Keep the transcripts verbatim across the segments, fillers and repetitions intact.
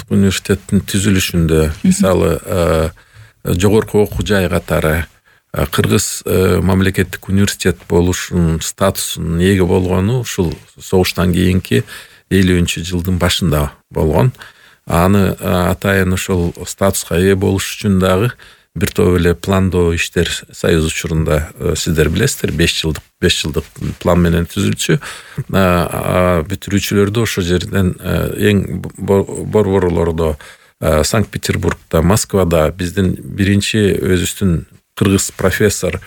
улуттук университеттин түзүлүшүндө мисалы жогорку окуу жай катары Кыргыз мамлекеттик университет болушунун статусунун ээги болгону ушул согуштан кийинки элүүнчү жылдын башында болгон. Аны атайын ошол статуска ээ болуш үчүн дагы бир топ эле пландоо иштер союз учурунда сиздер билесиздер, беш жылдык беш жылдык план менен түзүлчү. Бүтүрүүчүлөрдү ошол жерден эң борборлордо Санкт-Петербургда, Москвада биздин биринчи өзүбүздүн кыргыз профессор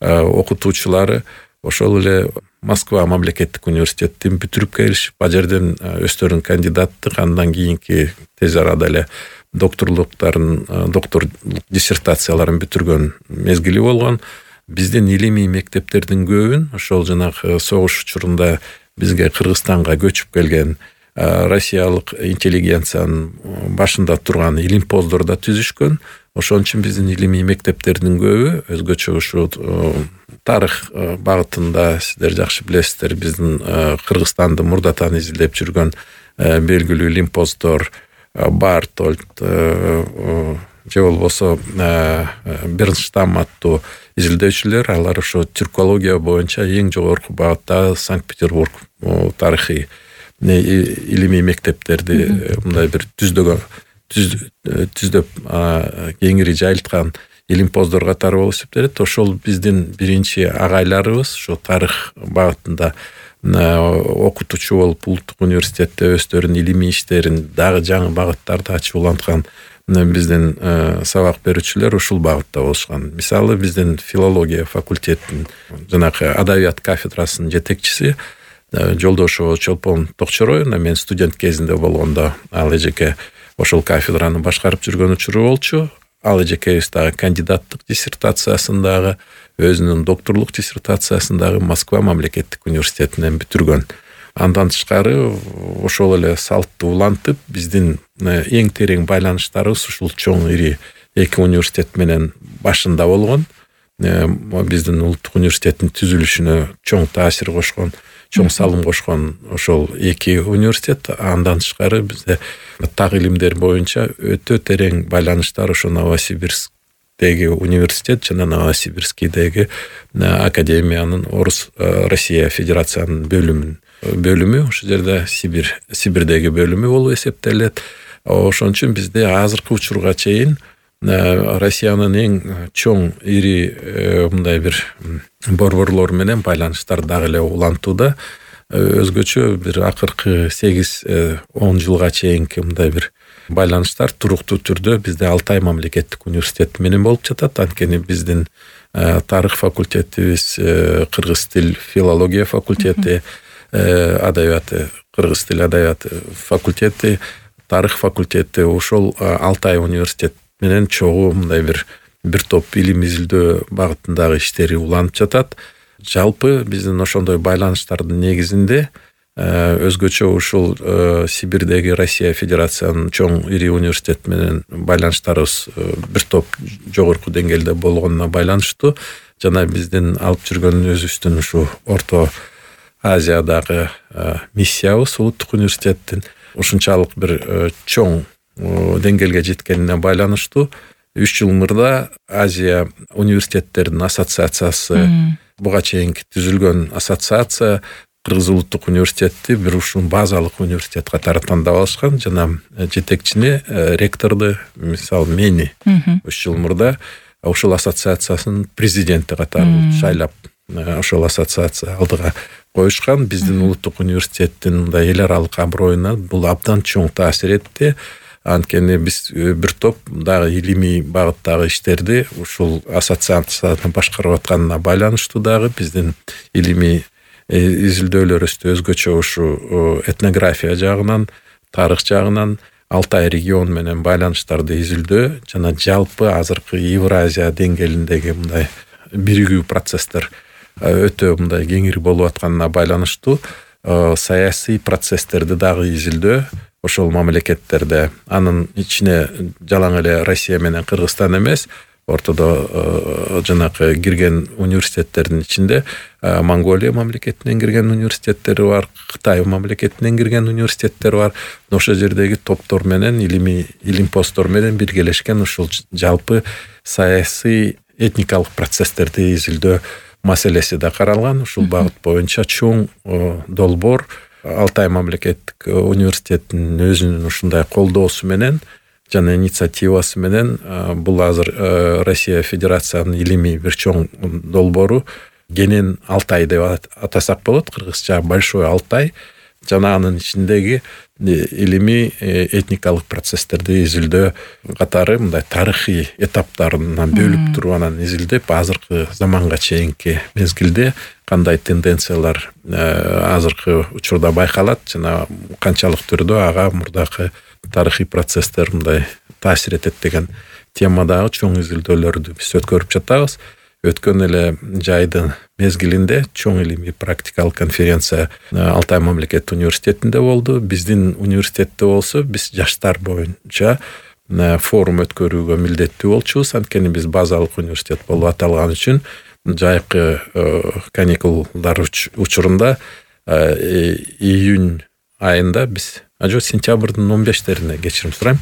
окутуучулары ошол эле Москва мамлекеттик университетин бүтүрүп келишип, ал жерден өздөрүнүн кандидаттык, андан кийинки тез арада эле докторлуктарын, докторлук диссертацияларын бүтүргөн мезгили болгон. Биздин илимий мектептердин көбүн ошол жанагы согуш учурунда бизге Кыргызстанга көчүп келген россиялык интеллигенциянын башында турган илимпоздордо түзүшкөн. Ошон үчүн биздин илимий мектептердин көбү өзгөчө ушу тарых багытында сиздер жакшы билесиздер, биздин Кыргызстанды мурдатан изилдеп жүргөн белгилүү илимпоздор Бартольд же болбосо Бернштам аттуу изилдөөчүлөр, алар ошо тюркология боюнча эң жогорку багытта Санкт-Петербург тарыхый илимий мектептерди мындай бир түздөгөн түздөп кеңири жайылткан илимпоздор катары болуп эсептелет. Ошол биздин биринчи агайларыбыз ошо тарых багытында окутуучу болуп улуттук университетте өздөрүнүн илимий иштерин дагы жаңы багыттарды ачып уланткан биздин сабак берүүчүлөр ушул багытта болушкан. Мисалы биздин филология факультетинин жанагы адабият кафедрасынын жетекчиси Жолдошева Чолпон Токчороевна, мен студент кезинде болгондо ал эжеке ошол кафедраны башкарып жүргөн учуру болчу. Ал эжекебиз дагы кандидаттык диссертациясын дагы, өзүнүн докторлук диссертациясын дагы Москва мамлекеттик университетинен бүтүргөн. Андан тышкары ошол эле салтты улантып, биздин эң терең байланыштарыбыз ушул чоң ири эки университет менен башында болгон. Биздин улуттук университеттин түзүлүшүнө чоң таасир кошкон, чоң салым кошкон ошол эки университет. Андан тышкары бизде так илимдер боюнча өтө терең байланыштар ошо Новосибирскдеги университет жана Новосибирскдеги академиянын Орус Россия Федерациянын бөлүмүн бөлүмү, ошол жерде Сибир Сибирдеги бөлүмү болуп эсептелет. Ошон үчүн бизде азыркы учурга чейин Россиянын эң чоң ири мындай бир борборлор менен байланыштар дагы эле улантууда. Өзгөчө бир акыркы сегиз он жылга чейинки мындай бир байланыштар туруктуу түрдө бизде Алтай мамлекеттик университети менен болуп жатат. Анткени биздин тарых факультетибиз, кыргыз тил филология факультети, адабияты, кыргыз тил адабияты факультети, тарых факультети ошол Алтай университет менен чогуу мындай бир бир топ илим изилдөө багытындагы иштери уланып жатат. Жалпы биздин ошондой байланыштардын негизинде өзгөчө ушул Сибирдеги Россия Федерациянын чоң ири университет менен байланыштарыбыз бир топ жогорку деңгээлде болгонуна байланыштуу жана биздин алып жүргөн өзүбүздүн ушу Орто Азиядагы миссиябыз улуттук университеттин ушунчалык бир чоң деңгээлге жеткенине байланыштуу үч жыл мурда Азия университеттеринин ассоциациясы буга чейинки түзүлгөн ассоциация Кыргыз улуттук университетти бир ушул базалык университет катары тандап алышкан жана жетекчини, ректорду, мисалы мени үч жыл мурда ушул ассоциациясынын президенти катары шайлап ошол ассоциация алдыга коюшкан. Биздин улуттук университеттин мындай эл аралык аброюна бул абдан чоң таасир этти. Анткени биз бир топ дагы илимий багыттагы иштерди ушул ассоциацияны башкарып атканына байланыштуу дагы биздин илимий изилдөөлөрүбүздү өзгөчө ушу этнография жагынан, тарых жагынан Алтай регион менен байланыштарды изилдөө жана жалпы азыркы Евразия деңгээлиндеги мындай биригүү процесстер өтө мындай кеңири болуп атканына байланыштуу саясий процесстерди дагы изилдөө ошол мамлекеттерде, анын ичине жалаң эле Россия менен Кыргызстан эмес, ортодо жанакы кирген университеттердин ичинде Монголия мамлекетинен кирген университеттери бар, Кытай мамлекетинен кирген университеттер бар. Ошол жердеги топтор менен илимий илимпоздор менен биргелешкен ушул жалпы саясий этникалык процесстерди изилдөө маселеси да каралган. Ушул багыт боюнча чоң долбоор Алтай мамлекеттик университетинин өзүнүн ушундай колдоосу менен жана инициативасы менен бул азыр Россия Федерациянын илимий бир чоң долбоору Генен Алтай деп атасак болот, кыргызча Большой Алтай, жана анын ичиндеги илимий этникалык процесстерди изилдөө катары мындай тарыхый этаптарынан бөлүп туруп анан изилдеп, азыркы заманга чейинки мезгилде кандай тенденциялар азыркы учурда байкалат жана канчалык түрдө ага мурдакы тарыхый процесстер мындай таасир этет деген темадагы чоң изилдөөлөрдү биз өткөрүп жатабыз. Өткөн эле жайдын мезгилинде чоң илимий практикалык конференция Алтай мамлекеттик университетинде болду. Биздин университетте болсо биз жаштар боюнча форум өткөрүүгө милдеттүү болчубуз. Анткени биз базалык университет болуп аталган үчүн жайкы каникулдар учурунда июнь айында биз ажо сентябрдын он бештерине кечирим сурайм,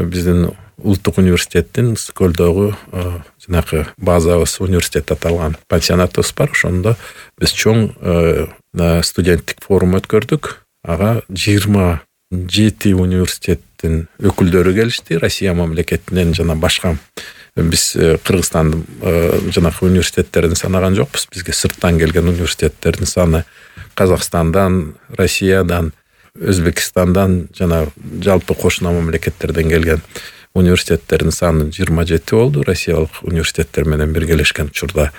биздин улуттук университеттин Ысык-Көлдөгү жанакы базабыз университет аталган пансионатыбыз бар. Ошондо биз чоң студенттик форум өткөрдүк. Ага жыйырма жети университеттин өкүлдөрү келишти, Россия мамлекетинен жана башка. Биз Кыргызстандын жанакы университеттерин санаган жокпуз. Бизге сырттан келген университеттердин саны Казакстандан, Россиядан, Өзбекстандан жана жалпы кошуна мамлекеттерден келген университеттердин саны жыйырма жети болду. Россиялык университеттер менен биргелешкен учурда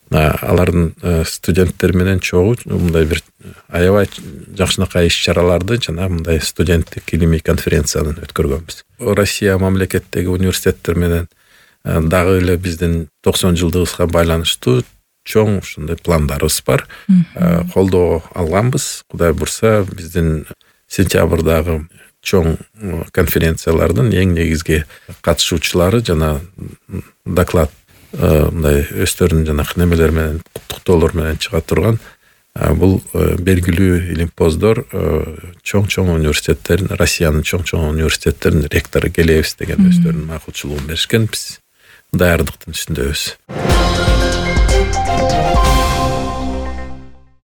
алардын студенттери менен чогуу мындай бир аябай жакшынакай иш-чараларды жана мындай студенттик илимий конференцияны өткөргөнбүз. Россия мамлекеттеги университеттер менен дагы эле биздин токсон жылдыгыбызга байланыштуу чоң ушундай пландарыбыз бар. Колдоо алганбыз. Кудай бурса биздин сентябрдагы чоң конференциялардын эң негизги катышуучулары жана доклад мындай өздөрүнүн жанакы немелер менен куттуктоолор менен чыга турган бул белгилүү илимпоздор чоң-чоң университеттерин, Россиянын чоң-чоң университеттеринин ректору келебиз деген өздөрүнүн макулчулугун беришкен. Биз даярдыктын үстүндөбүз.